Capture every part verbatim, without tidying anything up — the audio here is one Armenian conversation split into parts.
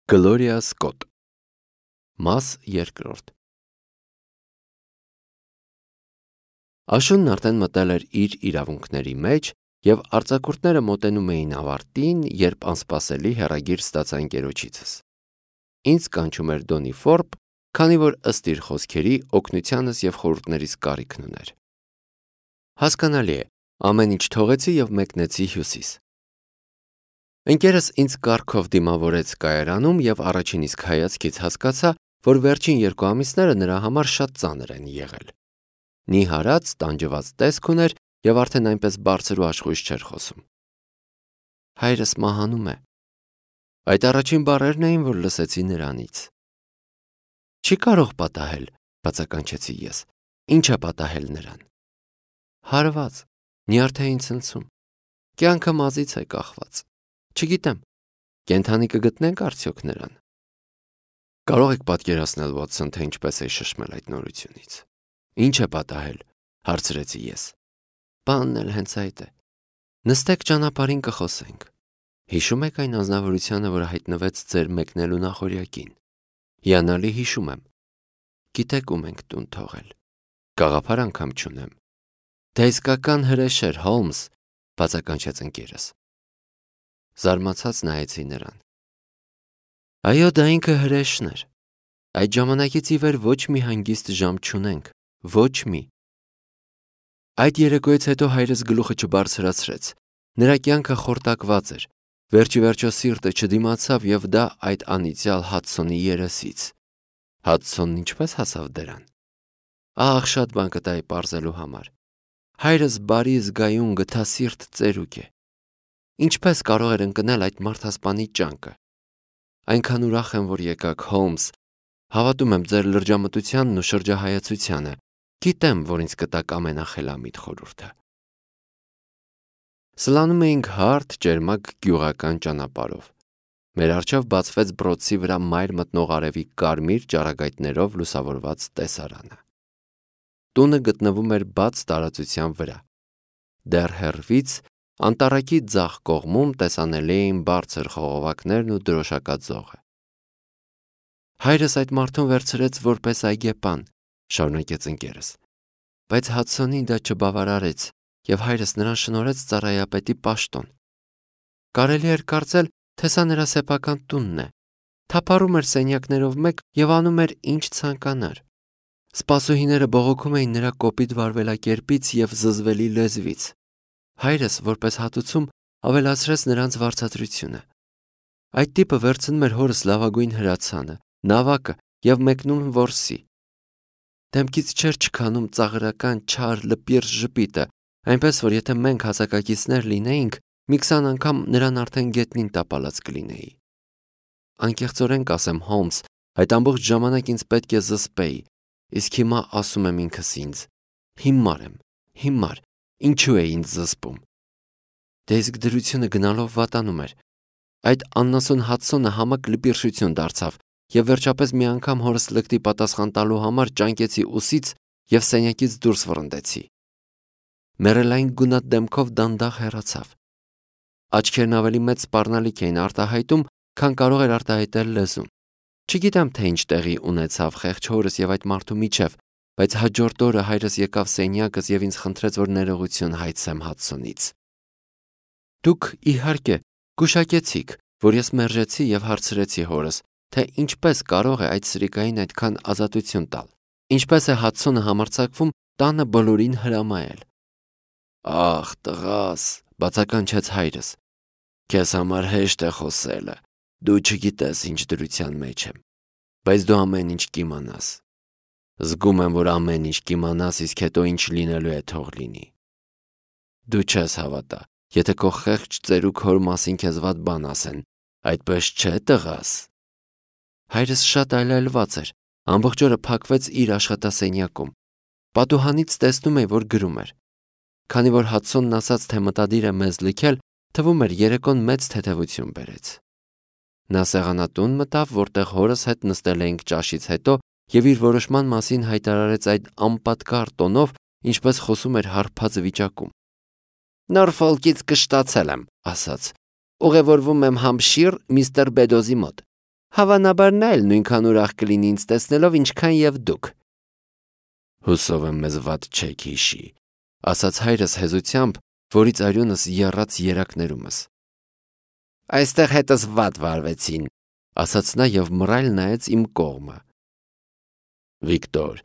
Գլորիա Սկոտ Մաս երկրորդ Աշունն արդեն մտել էր իր իրավունքների մեջ և արձակուրդները մոտենում էին ավարտին, երբ անսպասելի հեռագիր ստացա ընկերոջիցս։ Ինձ կանչում էր Դոնի Ֆորբ, քանի որ ըստ իր խոսքերի օգնությանս և խորհուրդներիս կարիքն ուներ։ Հասկանալի է, ամեն ինչ թողեցի և մեկնեցի Հյուսիս։ Ընկերս ինձ կառքով դիմավորեց կայարանում և առաջին իսկ հայացքից հասկացա, որ վերջին երկու ամիսները նրա համար շատ ծանր են եղել։ Նիհարած, տանջված տեսք ուներ և արդեն այնպես բարձր ու աշխույժ չէր խոսում։ Հայրս մահանում է։ Այդ առաջին բառերն էին, որ լսեցի նրանից։ Չի կարող պատահել, բացականչեցի ես։ Ինչ է պատահել նրան։ Հարված, նյարդային ցնցում։ Կյանքը մազից է կախված։ Չգիտեմ, կենդանի կգտնենք արդյոք նրան։ Կարող եք պատկերացնել, Վոթսոն, թե ինչպես էի շշմել այդ նորությունից։ Ինչ է պատահել, հարցրեցի ես։ Բանն էլ հենց այդ է։ Նստեք ճանապարհին կխոսենք։ Հիշում եք այն անձնավորությանը, որ հայտնվեց ձեր մեկնելու նախօրյակին։ Հիանալի հիշում եմ։ Գիտեք ում ենք տուն թողել։ Գաղափար անգամ չունեմ։ Դա իսկական հրեշ էր, Հոլմս, բացականչեց ընկերս։ Զարմացած նայեցի նրան։ Այո, դա ինքը հրեշն էր։ Այդ ժամանակից ի վեր ոչ մի հանգիստ ժամ չունենք, ոչ մի։ Այդ երեկոյից հետո հայրս գլուխը չբարձրացրեց։ Նրա կյանքը խորտակված էր։ Վերջիվերջո սիրտը չդիմացավ և դա այդ անիծյալ Հադսոնի երեսից։ Հադսոնն ինչպես հասավ դրան։ Ահ, շատ բան կտայի պարզելու համար։ Հայրս բարի զգայուն գթասիրտ ծերուկ է։ Ինչպես կարող էր ընկնել այդ մարդասպանի ջանքը։ Այնքան ուրախ եմ, որ եկաք, Հոլմս։ Հավատում եմ ձեր լրջամտությանն ու շրջահայացությանը։ Գիտեմ, որ ինձ կտաք ամենախելամիտ խորհուրդը։ Սլանում էինք հարթ, ջերմակ գյուղական ճանապարհով։ Մեր առջև բացվեց բրոցի վրա մայր մտնող արևի կարմիր ճառագայթներով լուսավորված տեսարանը։ Տունը գտնվում էր բաց տարածության վրա։ Դեռ հեռվից անտառակի ձախ կողմում տեսանելի էին բարձր խողովակներն ու դրոշակած ձողը։ Հայրս այդ մարդուն վերցրեց որպես այգեպան, շարունակեց ընկերս, բայց Հադսոնին դա չբավարարեց և հայրս նրան շնորհեց ծառայապետի պաշտոն։ Կարելի էր կարծել, թե սա նրա սեփական տունն է։ Թափառում էր սենյակներով մեկ և անում էր ինչ ցանկանար։ Սպասուհիները բողոքում էին նրա կոպիտ վարվելակերպից և զզվելի լեզվից։ Հայրս, որպես հատուցում, ավելացրեց նրանց վարձատրությունը։ Այդ տիպը վերցնում էր հորս լավագույն հրացանը, նավակը և մեկնում որսի։ Դեմքից չէր չքանում ծաղրական չար լպիրտ ժպիտը, այնպես որ եթե մենք հասակակիցներ լինեինք, մի քսան անգամ նրան արդեն գետնին տապալած կլինեի։ Անկեղծորեն կասեմ, Հոլմս, այդ ամբողջ ժամանակ ինձ պետք է զսպեի, իսկ հիմա ասում եմ ինքս ինձ. հիմար եմ, հիմար, ինչու է ինձ զսպում։ Դե իսկ դրությունը գնալով վատանում էր։ Այդ աննասուն Հադսոնը համակ լպիրշություն դարձավ և վերջապես մի անգամ հորս լկտի պատասխան տալու համար ճանկեցի ուսից և սենյակից դուրս վռնդեցի։ Մեռելային գունատ դեմքով դանդաղ հեռացավ։ Աչքերն ավելի մեծ սպառնալիք էին արտահայտում, քան կարող էր արտահայտել լեզուն։ Չգիտեմ, թե ինչ տեղի ունեցավ խեղճ հորս և այդ մարդու միջև, բայց հաջորդ օրը հայրս եկավ սենյակս և ինձ խնդրեց, որ ներողություն հայցեմ Հադսոնից։ Դուք, իհարկե, գուշակեցիք, որ ես մերժեցի և հարցրեցի հորս, թե ինչպես կարող է այդ սրիկային այդքան ազատություն տալ, ինչպես է Հադսոնը համարձակվում տանը բոլորին հրամայել։ Ախ, տղաս, բացականչեց հայրս, քեզ համար հեշտ է խոսելը, դու չգիտես ինչ դրության մեջ եմ, բայց դու ամեն ինչ կիմանաս։ Զգում եմ, որ ամեն ինչ կիմանաս, իսկ հետո ինչ լինելու է թող լինի։ Դու չես հավատա, եթե քո խեղճ ծերուկ հոր մասին քեզ վատ բան ասեն, այդպես չէ, տղաս։ Հայրս շատ այլայլված էր, ամբողջ օրը փակվեց իր աշխատասենյակում։ Պատուհանից տեսնում էի, որ գրում էր։ Քանի որ Հադսոնն ասաց, թե մտադիր է մեզ լքել, թվում էր երեկոն մեծ թեթևություն բերեց։ Նա սեղանատուն մտավ, որտեղ հորս հետ նստել էինք ճաշից հետո և իր որոշման մասին հայտարարեց այդ անպատկառ տոնով, ինչպես խոսում էր հարբած վիճակում։ Նորֆոլքից կշտացել եմ, ասաց։ Ուղևորվում եմ Համփշիր միստր Բեդոզի մոտ։ Հավանաբար նա էլ նույնքան ուրախ կլինի ինձ տեսնելով, ինչքան եւ դուք։ Հուսով եմ մեզ վատ չեք հիշի, ասաց հայրս հեզությամբ, որից արյունս եռաց երակներումս։ Այստեղ հետս վատ վարվեցին, ասաց նա եւ մռայլ նայեց իմ կողմը։ Վիկտոր,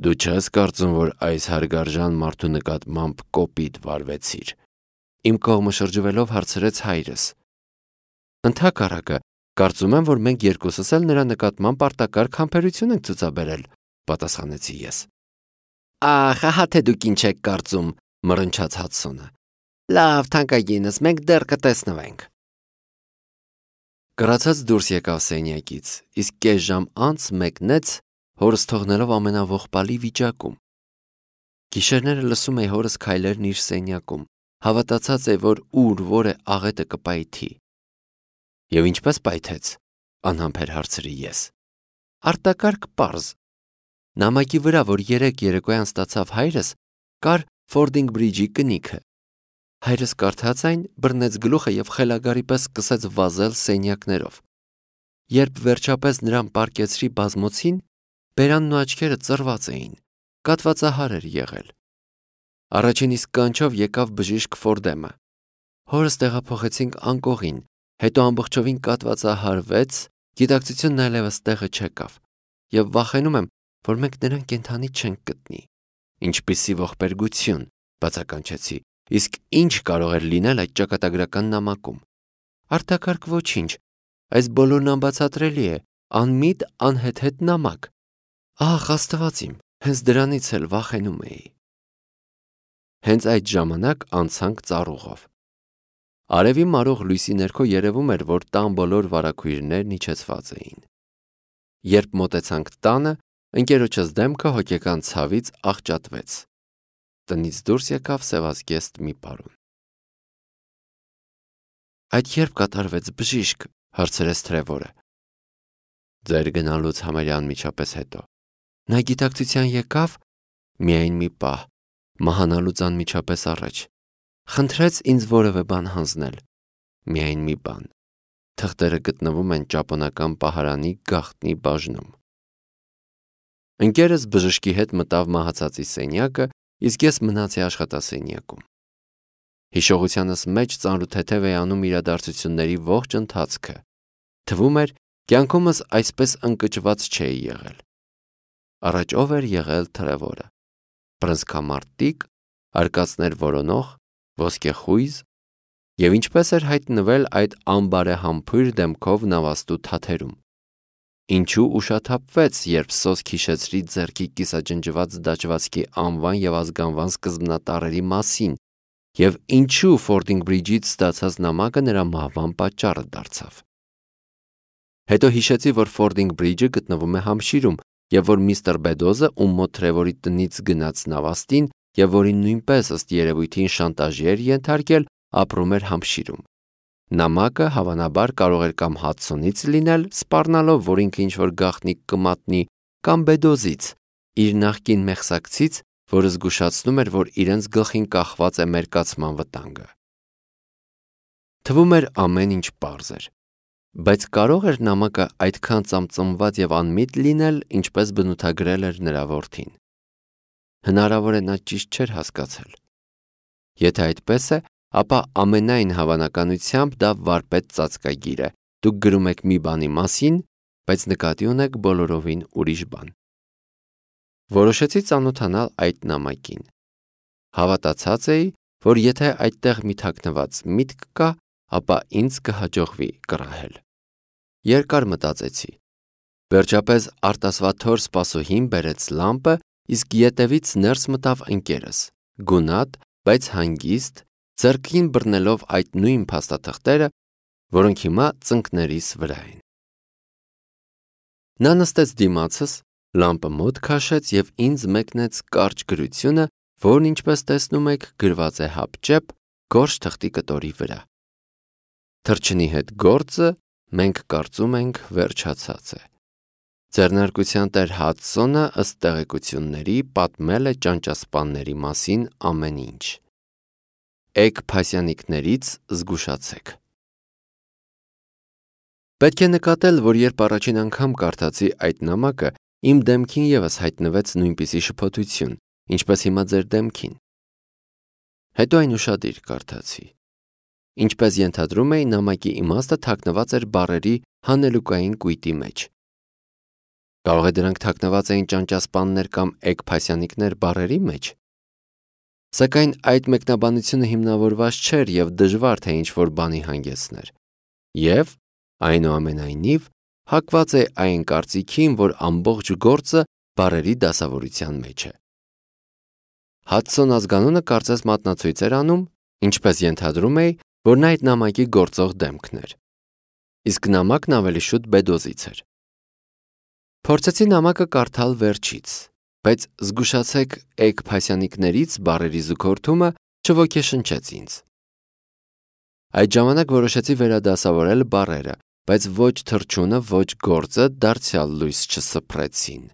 դու չես կարծում, որ այս հարգարժան մարդու նկատմամբ կոպիտ վարվեցիր։ Իմ կողմը շրջվելով հարցրեց հայրս։ Ընդհակառակը, կարծում եմ, որ մենք երկուսս էլ նրա նկատմամբ արտակարգ համբերություն ենք ցուցաբերել, պատասխանեցի ես։ Ախ, ահա թե դուք ինչ եք կարծում, մռնչաց Հադսոնը։ Լավ, թանկագինս, մենք դեռ կտեսնվենք։ Կրացած դուրս եկավ սենյակից, իսկ կես ժամ անց մեկնեց, հորս թողնելով ամենաողբալի վիճակում։ Գիշերները լսում էի հորս քայլերն իր սենյակում, հավատացած է, որ ուր որ է աղետը կպայթի։ Եվ ինչպես պայթեց, անհամբեր հարցրի ես։ Արտակարգ պարզ։ Նամակի վրա, որ երեք երեկոյան ստացավ հայրս, կար Ֆորդինգ Բրիջի կնիքը։ Հայրս կարդաց այն, բռնեց գլուխը եւ խելագարի պես սկսեց վազել սենյակներով։ Երբ վերջապես նրան պառկեցրի բազմոցին, բերանն ու աչքերը ծռված էին, կատվածահար էր եղել։ Առաջին իսկ կանչով եկավ բժիշկ Ֆորդեմը։ Հորս տեղափոխեցինք անկողին, հետո ամբողջովին կատվածահարվեց, գիտակցությունն այլևս տեղը չեկավ, եւ վախենում եմ, որ մենք նրան կենդանի չենք գտնի։ Ինչպիսի ողբերգություն, բացականչեցի, իսկ ինչ կարող էր լինել այդ ճակատագրական նամակում։ Արտակարգ ոչինչ, այս բոլորն անբացատրելի է, անմիտ անհեթեթ նամակ։ Ահ, Աստված իմ, հենց դրանից էլ վախենում էի։ Հենց այդ ժամանակ անցանք ծառուղով։ Արևի մարող լույսի ներքո երևում էր, որ տան բոլոր վարագույրներն իջեցված էին։ Երբ մոտեցանք տանը, ընկերոջս դեմքը հոգեկան ցավից աղճատվեց։ Տնից դուրս եկավ սևազգեստ մի պարոն։ Այդ երբ կատարվեց բժիշկ, հարցրեց Թրևորը։ Ձեր գնալուց համարյա անմիջապես հետո։ Նա գիտակցության եկավ միայն մի պահ, մահանալուց անմիջապես առաջ։ Խնդրեց ինձ որևէ բան հանձնել։ Միայն մի բան։ Թղթերը գտնվում են ճապոնական պահարանի գաղտնի բաժնում։ Ընկերս բժշկի հետ մտավ մահացածի սենյակը, իսկ ես մնացի աշխատասենյակում։ Հիշողությանս մեջ ծանրութեթև է անում իրադարձությունների ողջ ընթացքը։ Թվում էր, կյանքումս այսպես ընկճված չէի եղել։ Առաջ ով էր եղել Թրևորը։ Բռնցքամարտիկ, արկածներ որոնող, ոսկեխույզ, եւ ինչպես էր հայտնվել այդ անբարեհամբույր դեմքով նավաստու թաթերում։ Ինչու ուշաթափվեց, երբ սոսկ հիշեցրի ձեռքի կիսաջնջված դաջվածքի անվան եւ ազգանվան սկզբնատառերի մասին, եւ ինչու Ֆորդինգ Բրիջից ստացած նամակը նրա մահվան պատճառը դարձավ։ Հետո հիշեցի, որ Ֆորդինգ Բրիջը գտնվում է Համշիրում, եւ որ միստր Բեդոզը, ում մոտ Թրևորի տնից գնաց նավաստին, եւ որին նույնպես ըստ երևույթին շանտաժի էր ենթարկել, ապրում էր Համշիրում։ Նամակը հավանաբար կարող էր կամ Հադսոնից լինել, սպառնալով, որ ինքը ինչ-որ գաղտնիք կմատնի, կամ Բեդոզից, իր նախկին մեղսակցից, որը զգուշացնում էր, որ իրենց գլխին կախված է մերկացման վտանգը։ Թվում էր ամեն ինչ պարզ էր, բայց կարող էր նամակը այդքան ծամծմված եւ անմիտ լինել, ինչպես բնութագրել էր նրա որդին։ Հնարավոր է նա ճիշտ չէր հասկացել։ Եթե այդպես է, ապա ամենայն հավանականությամբ դա վարպետ ծածկագիր է։ Դուք գրում եք մի բանի մասին, բայց նկատի ունեք բոլորովին ուրիշ բան։ Որոշեցի ծանոթանալ այդ նամակին։ Հավատացած էի, որ եթե այդտեղ մի թաքնված միտք կա, ապա ինձ կհաջողվի կռահել։ Երկար մտածեցի։ Վերջապես արտասվաթոր սպասուհին բերեց լամպը, իսկ ետևից ներս մտավ ընկերս, գունատ, բայց հանգիստ, ձեռքին բռնելով այդ նույն փաստաթղթերը, որոնք հիմա ծնկներիս վրա են։ Նա նստեց դիմացս, լամպը մոտ քաշեց եւ ինձ մեկնեց կարճ գրությունը, որն ինչպես տեսնում եք գրված է հապճեպ գորշ թղթի կտորի վրա։ Թրջնի հետ գործը մենք կարծում ենք վերջացած է։ Ձեռնարկության տեր Հադսոնը ըստ տեղեկությունների պատմել է ճանճասպանների մասին ամեն ինչ։ Էգ փասյանիկներից զգուշացեք։ Պետք է նկատել, որ երբ առաջին անգամ կարդացի այդ նամակը, իմ դեմքին ևս հայտնվեց նույնպիսի շփոթություն, ինչպես հիմա ձեր դեմքին։ Հետո այն ուշադիր կարդացի։ Ինչպես ենթադրում էի, նամակի իմաստը թաքնված էր բառերի հանելուկային կույտի մեջ։ Կարող է դրանք թաքնված էին ճանճասպաններ կամ էգփասյանիկներ բառերի մեջ։ Սակայն այդ մեկնաբանությունը հիմնավորված չէր և դժվար թե ինչ-որ բանի հանգեցներ։ Եվ, այնուամենայնիվ, հակված է այն կարծիքին, որ ամբողջ գործը բառերի դասավորության մեջ է։ Հադսոն ազգանունը կարծես մատնացույց էր անում, ինչպես ենթադրում էի, որ նա այդ նամակի գործող դեմքն էր։ Իսկ նամակն ավելի շուտ Բեդոզից էր։ Փորձեցի նամակը կարդալ վերջից, բայց զգուշացեք էգփասյանիկներից բառերի զուգորդումը չոգեշնչեց ինձ։ Այդ ժամանակ որոշեցի վերադասավորել բառերը, բայց ոչ թռչունը, ոչ գործը դարձյալ լույս չսփռեցին։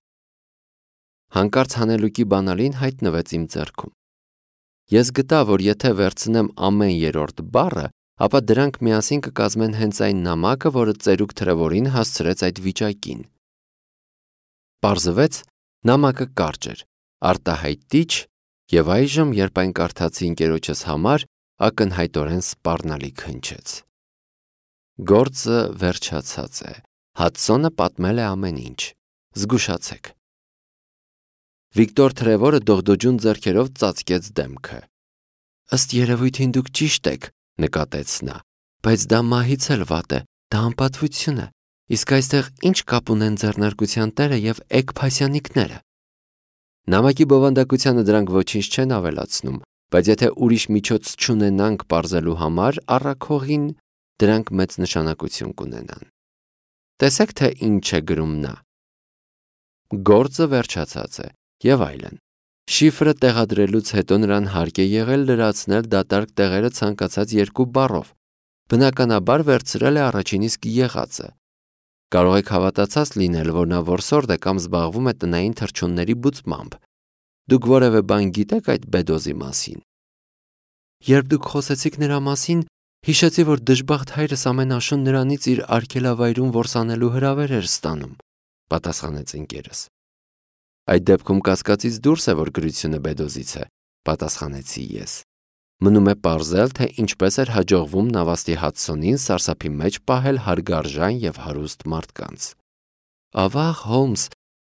Հանկարծ հանելուկի բանալին հայտնվեց իմ ձեռքում։ Ես գտա, որ եթե վերցնեմ ամեն երրորդ բառը, ապա դրանք միասին կկազմեն հենց այն նամակը, որը ծերուկ Թրևորին հասցրեց այդ վիճակին։ Պարզվեց, նամակը կարճ էր, արտահայտիչ և այժմ, երբ այն կարդացի ընկերոջս համար, ակնհայտորեն սպառնալիք հնչեց։ Գործը վերջացած է։ Հադսոնը պատմել է ամեն ինչ։ Զգուշացեք։ Վիկտոր Թրևորը դողդոջուն ձեռքերով ծածկեց դեմքը։ Ըստ երևույթին դուք ճիշտ եք, նկատեց նա, բայց դա մահից էլ վատ է, դա անպատվություն է, իսկ այստեղ ինչ կապ ունեն ձեռնարկության տերը և էգփասյանիկները։ Նամակի բովանդակությանը դրանք ոչինչ չեն ավելացնում, բայց եթե ուրիշ միջոց չունենանք պարզելու համար առաքողին, դրանք մեծ նշանակություն կունենան։ Տեսեք, թե ինչ է գրում նա։ Գործը վերջացած է և այլն։ Շիֆրը տեղադրելուց հետո նրան հարկ է եղել լրացնել դատարկ տեղերը ցանկացած երկու բառով։ Բնականաբար վերցրել է առաջին իսկ եղածը։ Կարող եք հավատացած լինել, որ նա որսորդ է կամ զբաղվում է տնային թռչունների բուծմամբ։ Դուք որևէ բան գիտեք այդ Բեդոզի մասին։ Երբ դուք խոսեցիք նրա մասին, հիշեցի, որ դժբախտ հայրս ամեն աշուն նրանից իր արգելավայրում որսանելու հրավեր էր ստանում, պատասխանեց ընկերս։ Այդ դեպքում կասկածից դուրս է, որ գրությունը Բեդոզից է, պատասխանեցի ես։ Մնում է պարզել, թե ինչպես էր հաջողվում նավաստի Հադսոնին սարսափի մեջ պահել հարգարժան և հարուստ մարդկանց։ Ավաղ, Հոլմս,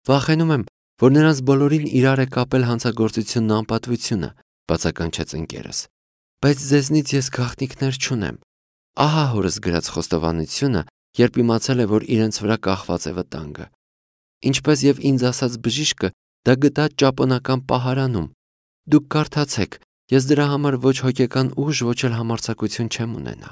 վախենում եմ, որ նրանց բոլորին իրար է կապել հանցագործությունն ու անպատվությունը, բացականչեց ընկերս։ Բայց ձեզնից ես գաղտնիքներ չունեմ։ Ահա հորս գրած խոստովանությունը, երբ իմացել է, որ իրենց վրա կախված է վտանգը։ Ինչպես և ինձ ասաց բժիշկը, դա գտած ճապոնական պահարանում։ Դուք կարդացեք, ես դրա համար ոչ հոգեկան ուժ, ոչ էլ համարձակություն չեմ ունենա։